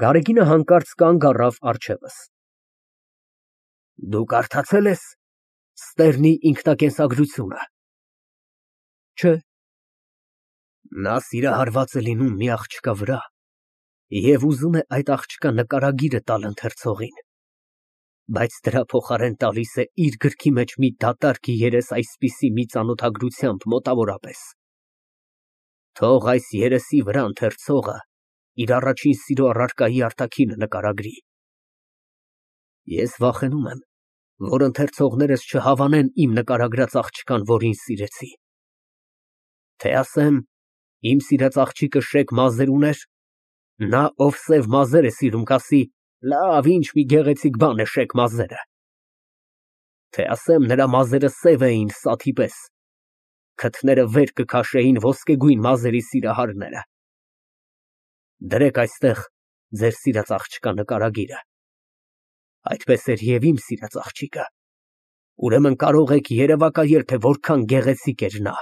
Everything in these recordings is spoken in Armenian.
Գարեգինը հանկարծ կանգ առավ առջևս։ Դու կարդացե՞լ ես Ստերնի ինքնակենսագրությունը։ Չէ։ Նա սիրահարված է լինում մի աղջկա վրա և ուզում է այդ աղջկա նկարագիրը տալ ընթերցողին, բայց դրա փոխարեն տալիս է իր գրքի մեջ մի դատարկ երես այսպիսի մի ծանոթագրությամբ մոտավորապես. թող այս երեսի վրա ընթերցողը իր առաջին սիրո առարկայի արտաքինը նկարագրի։ Ես վախենում եմ, որ ընթերցողներս չհավանեն իմ նկարագրած աղջկան, որին սիրեցի։ Թե ասեմ, իմ սիրած աղջիկը շեկ մազեր ուներ, նա, ով սև մազեր է սիրում, կասի. լավ, ինչ մի գեղեցիկ բան է շեկ մազերը։ Թե ասեմ, նրա մազերը սև էին սաթի պես, քթները վեր կքաշեին ոսկեգույն մազերի սիրահարները։ Դրեք այստեղ ձեր սիրած աղջկա նկարագիրը։ Այդպես էր և իմ սիրած աղջիկը։ Ուրեմն կարող եք երևակայել, թե որքան գեղեցիկ էր նա։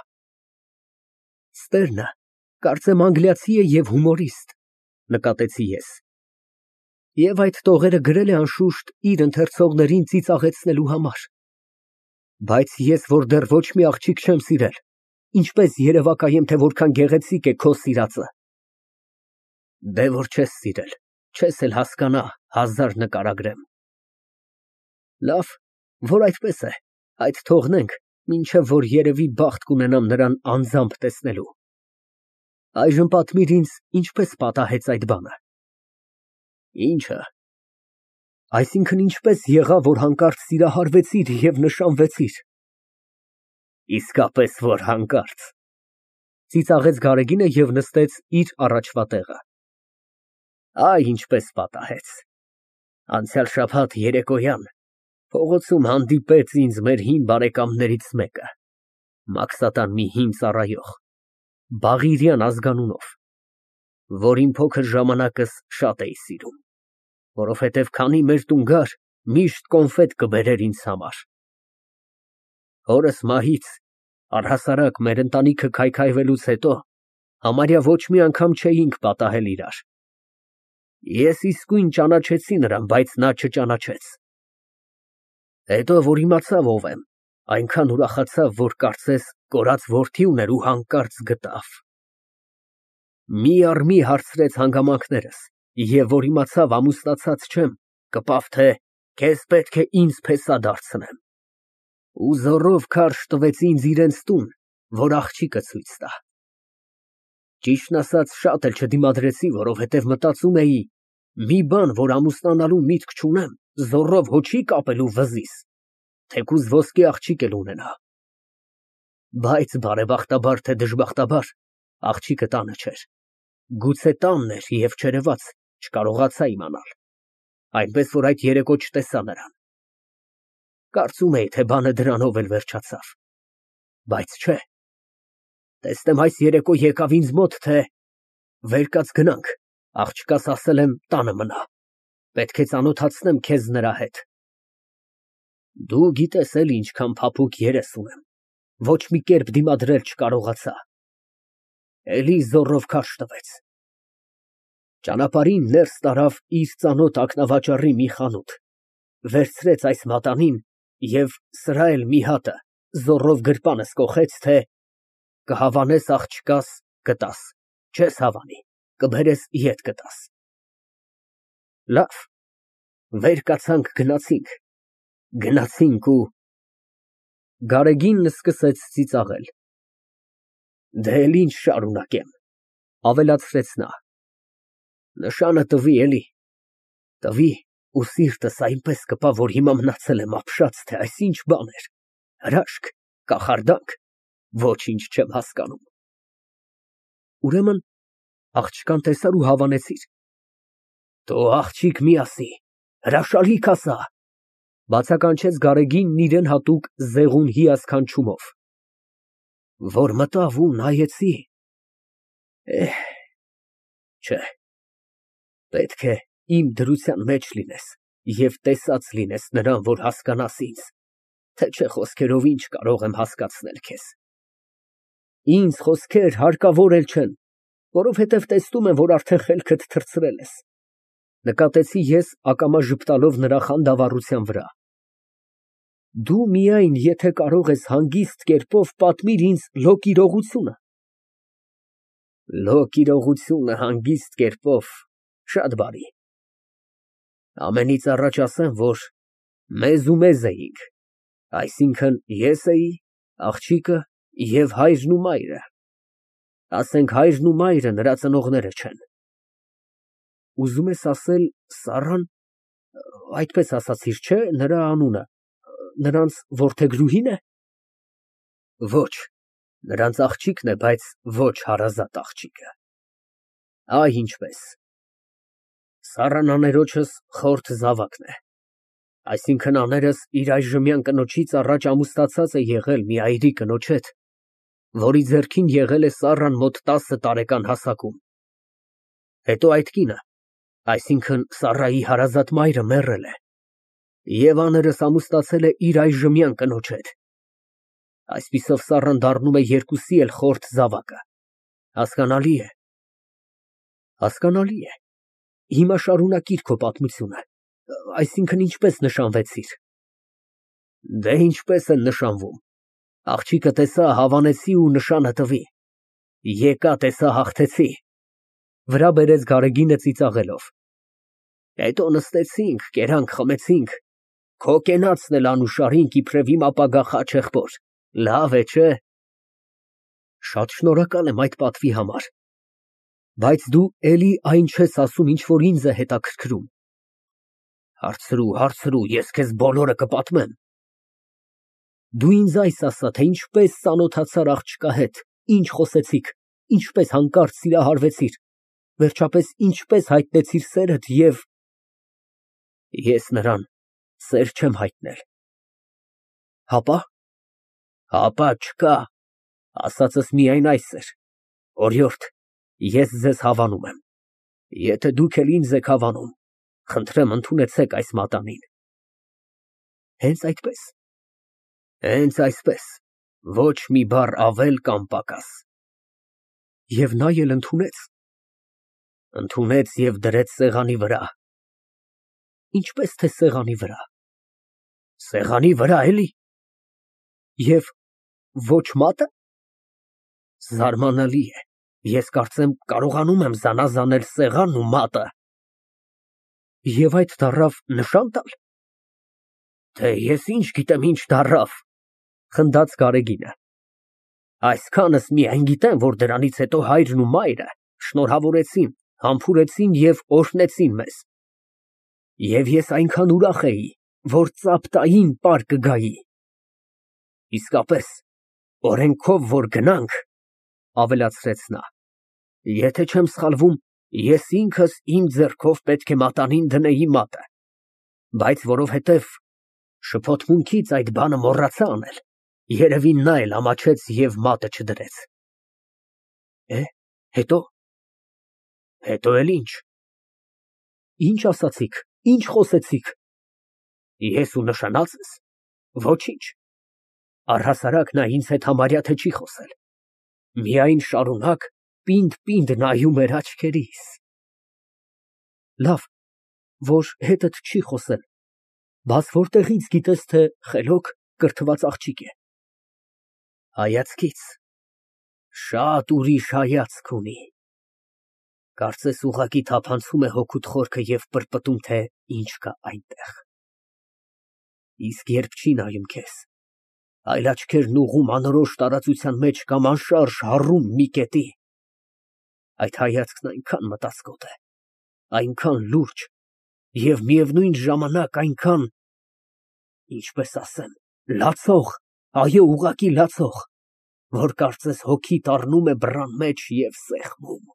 Ստերնը, կարծեմ անգլիացի է և հումորիստ, նկատեցի ես։ Եվ այդ տողերը գրել է անշուշտ իր ընթերցողներին ծիծաղեցնելու համար։ Բայց ես, որ դեռ ոչ մի աղջիկ չեմ սիրել, ինչպես երևակայեմ, թե որքան գեղեցիկ է քո սիրածը։ Դե որ չես սիրել, չես էլ հասկանա, հազար նկարագրեմ։ Լավ, որ այդպես է, այդ թողնենք, մինչև որ երևի բախտ կունենամ նրան անձամբ տեսնելու։ Այժմ պատմիր ինձ, ինչպես պատահեց այդ բանը։ Ինչը։ Այսինքն ինչպես եղավ, որ հանկարծ սիրահարվեցիր և նշանվեցիր։ Իսկապես որ հանկարծ, ծիծաղեց Գարեգինը և նստեց իր առաջվա տեղը։ Այ ինչպես պատահեց։ Անցյալ շաբաթ երեկոյան փողոցում հանդիպեց ինձ մեր հին բարեկամներից մեկը, Մաքսատան մի հին ծառայող, Բաղիրյան ազգանունով, որին փոքր ժամանակս շատ էի սիրում, որովհետև քանի մեր տուն գար, միշտ կոնֆետ կբերեր ինձ համար։ Հորս մահից, առհասարակ մեր ընտանիքը քայքայվելուց հետո, համարյա ոչ մի անգամ չէինք պատահել իրար։ Ես իսկույն ճանաչեցի նրան, բայց նա չճանաչեց։ Հետո, որ իմացավ ով եմ, այնքան ուրախացավ, որ կարծես կորած որդի ուներ ու հանկարծ գտավ։ Մի հարցրեց հանգամանքներս, և որ իմացավ ամուսնացած չեմ, կպավ, թե քեզ պետք է ինձ փեսա դարձնեմ։ Ու զոռով քարշ տվեց ինձ իրենց տուն, որ աղջիկը ցույց տա։ Ճիշտն ասած, շատ էլ չդիմադրեցի, որովհետև մտածում էի, մի բան, որ ամուսնանալու միտք չունեմ, զոռով հո չի կապելու վզիս, թեկուզ ոսկե աղջիկ էլ ունենա։ Բայց բարեբախտաբար, թե դժբախտաբար, աղջիկը տանը չէր։ Գուցե տանն էր և չերևաց, չկարողացա իմանալ, այնպես որ այդ երեկո չտեսա նրան։ Կարծում էի, թե բանը դրանով էլ վերջացավ, բայց չէ։ Տեսնեմ այս երեկո եկավ ինձ մոտ, թե վեր կաց գնանք, աղջկաս ասել եմ տանը մնա, պետք է ծանոթացնեմ քեզ նրա հետ։ Դու գիտես էլի ինչքան փափուկ երես ունեմ, ոչ մի կերպ դիմադրել չկարողացա։ Էլի զոռով քարշ տվեց։ Ճանապարհին ներս տարավ իր ծանոթ ակնավաճառի մի խանութ, վերցրեց այս մատանին և սրա էլ մի հատը զոռով գրպանս կոխեց, թե կհավանես աղջկաս, կտաս, չես հավանի, կբերես ետ կտաս։ Լավ, վեր կացանք, գնացինք ու… Գարեգինն սկսեց ծիծաղել։ Դե էլ ինչ շարունակեմ, ավելացրեց նա։ Նշանը տվի էլի, տվի ու սիրտս այնպես կպա, որ հիմա մնացել եմ ապշած, թե այս ինչ բան էր, հրաշք, կախարդանք, ոչինչ չեմ հասկանում։ Ուրեմն աղջկան տեսար ու հավանեցիր։ Թո աղջիկ մի ասի, հրաշալիք ասա, բացականչեց Գարեգինն իրան հատուկ զեղուն հիասքանչումով։ Որ մտավ ու նայեցի, չէ, պետք է իմ դրության մեջ լինես և տեսած լինես նրան, որ հասկանաս ինձ, թե չէ խոսքերով ինչ կարող եմ հասկացնել քեզ։ Ինձ խոսքեր հարկավոր էլ չեն, որովհետև տեսնում եմ, որ արդեն խելքդ թռցրել ես։ Նկատեցի ես ակամա ժպտալով նրա խանդավառության վրա։ Դու միայն, եթե կարող ես հանգիստ կերպով պատմիր ինձ լոկ իրողությունը։ Լոկ իրողությունը հանգիստ կերպով, շատ բարի։ Ամենից առաջ ասեմ, որ մեզ ու մեզ էինք, այսինքն ես էի, աղջիկը և հայրն ու մայրը, ասենք հայրն ու մայրը նրա ծնողները չեն։ Ուզում ես ասել Սառան, այդպես ասացիր, չէ՞, նրա անունը, նրանց որդեգրուհի՞ն է։ Ոչ, նրանց աղջիկն է, բայց ոչ հարազատ աղջիկը։ Այ ինչպես։ Սառան աներոջս խորթ զավակն է, այսինքն աներս իր այժմյան կնոջից առաջ ամուսնացած է եղել մի այրի կնոջ հետ, որի ձեռքին եղել է Սառան մոտ 10 տարեկան հասակում։ Հետո այդ կինը, այսինքն Սառայի հարազատ մայրը մեռել է, և աներս ամուսնացել է իր այժմյան կնոջ հետ։ Այսպիսով Սառան դառնում է երկուսի էլ խորթ զավակը։ Հասկանալի է։ Հասկանալի է։ Հիմա շարունակիր քո պատմությունը, այսինքն ինչպես նշանվեցիր։ Դե ինչպես են նշանվում։ Աղջիկը տեսա, հավանեցի ու նշանը տվի։ Եկա, տեսա, հաղթեցի։ Վրա բերեց Գարեգինը ծիծաղելով։ Հետո նստեցինք, կերանք, խմեցինք։ Քո կենացն էլ անուշարինք իբրև իմ ապագա խաչեղբոր։ Լավ է, չէ՞։ Շատ շնորհակալ եմ այդ պատվի համար։ Բայց դու էլի այն չես ասում, ինչ որ ինձ է հետաքրքրում։ Հարցրու, հարցրու, ես քեզ բոլորը կպատմեմ։ Դու ինձ այս ասա, թե ինչպես ծանոթացար աղջկա հետ, ինչ խոսեցիք, ինչպես հանկարծ սիրահարվեցիր, վերջապես ինչպես հայտնեցիր սերդ և… Ես նրան սեր չեմ հայտնել։ Հապա։ Հապա չկա, ասածս միայն այս էր. օրիորդ, ես ձեզ հավանում եմ։ Եթե դուք էլ ինձ եք հավանում, խնդրեմ ընդունեցեք այս մատանին։ Հենց այդպես։ Հենց այսպես, ոչ մի բառ ավել կամ պակաս։ Եվ նա էլ ընդունեց։ Ընդունեց և դրեց սեղանի վրա։ Ինչպես թե սեղանի վրա։ Սեղանի վրա էլի։ Եվ ոչ մատը։ Զարմանալի է, ես կարծեմ կարողանում եմ զանազանել սեղանն ու մատը։ Եվ այդ դառավ նշան տալ։ Թե ես ինչ գիտեմ ինչ դառավ, խնդաց Գարեգինը։ Այսքանս միայն գիտեմ, որ դրանից հետո հայրն ու մայրը շնորհավորեցին, համբուրեցին և օրհնեցին մեզ։ Եվ ես այնքան ուրախ էի, որ ծափ տային պար կգայի։ Իսկապես, օրենքով որ գնանք, ավելացրեց նա, եթե չեմ սխալվում, ես ինքս իմ ձեռքով պետք է մատանին դնեի մատը, բայց որովհետև շփոթմունքից այդ բանը մոռացա անել, երևի նա էլ ամաչեց և մատը չդրեց։ Հետո։ Հետո էլ ինչ։ Ինչ ասացիք, ինչ խոսեցիք։ Ես ու նշանածս։ Ոչինչ։ Առհասարակ նա ինձ հետ համարյա թե չի խոսել։ Միայն շարունակ պինդ նայում էր աչքերիս։ Լավ, որ հետդ չի խոսել, բաս որտեղից գիտես, թե խելոք կրթված աղջիկ է։ Հայացքից։ Շատ ուրիշ հայացք ունի։ Կարծես ուղղակի թափանցում է հոգուդ խորքը և պրպտում, թե ինչ կա այնտեղ։ Իսկ երբ չի նայում քեզ, այլ աչքերն ուղղում անորոշ տարածության մեջ կամ անշարժ հառում մի կետի, այդ հայացքն այնքան մտածկոտ է, այնքան լուրջ և միևնույն ժամանակ այնքան, ինչպես ասեմ, լացող, այո, ուղղակի լացող, որ կարծես հոգիդ առնում է բռան մեջ և սեղմում։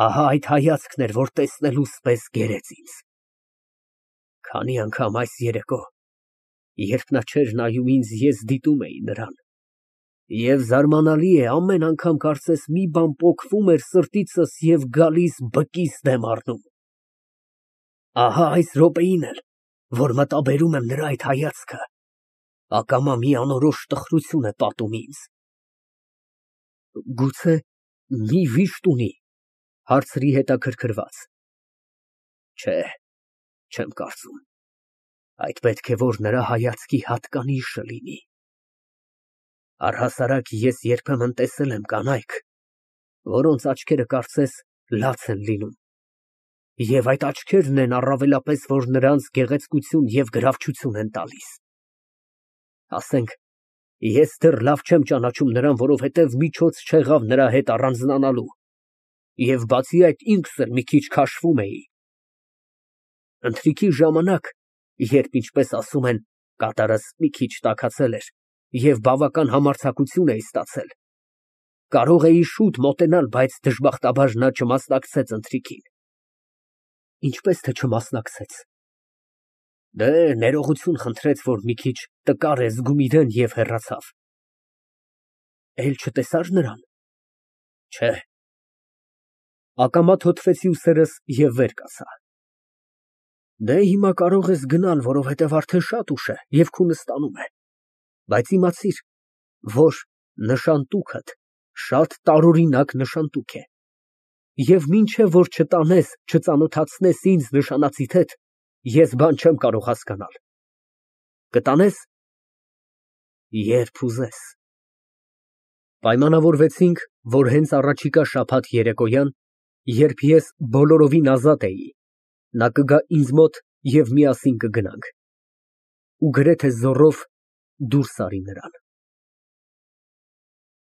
Ահա այդ հայացքն էր, որ տեսնելուս պես գերեց ինձ։ Քանի անգամ այս երեկո, երբ նա չէր նայում ինձ, ես դիտում էի նրան, և զարմանալի է, ամեն անգամ կարծես մի բան պոկվում էր սրտիցս և գալիս բկիս դեմ առնում։ Ահա այս րոպեին էլ, որ մտաբերում եմ նրա այդ հայացքը, ակամա մի անորոշ տխրություն է պատում ինձ։ Գուցե մի վիշտ ունի, հարցրի հետաքրքրված։ Չէ, չեմ կարծում։ Այդ պետք է որ նրա հայացքի հատկանիշը լինի։ Առհասարակ ես երբեմն տեսել եմ կանայք, որոնց աչքերը կարծես լաց են լինում, և այդ աչքերն են առավելապես, որ նրանց գեղեցկություն և գրավչություն են տալիս։ Ասենք, ես դեռ լավ չեմ ճանաչում նրան, որովհետև միջոց չեղավ նրա հետ առանձնանալու, և բացի այդ ինքս էլ մի քիչ քաշվում էի։ Ընթրիքի ժամանակ, երբ, ինչպես ասում են, կատարս մի քիչ տաքացել էր և բավական համարձակություն էի ստացել, կարող էի շուտ մոտենալ, բայց դժբախտաբար նա չմասնակցեց ընթրիքին։ Ինչպես թե չմասնակցեց։ Դե, ներողություն խնդրեց, որ մի քիչ տկար է զգում իրան և հեռացավ։ Էլ չտեսա՞ր նրան։ Չէ։ Ակամա թոթվեցի ուսերս և վեր կացա։ Դե, հիմա կարող ես գնալ, որովհետև արդեն շատ ուշ է և քունը ստանում է, բայց իմացիր, որ նշանտուքդ շատ տարօրինակ նշանտուք է, և մինչև որ չտանես, չծանոթացնես ինձ նշանածիդ հետ, ես բան չեմ կարող հասկանալ։ Կտանե՞ս։ Երբ ուզես։ Պայմանավորվեցինք, որ հենց առաջիկա շաբաթ երեկոյան, երբ ես բոլորովին ազատ էի, նա կգա ինձ մոտ և միասին կգնանք։ Ու գրեթե զոռով դուրս արի նրան։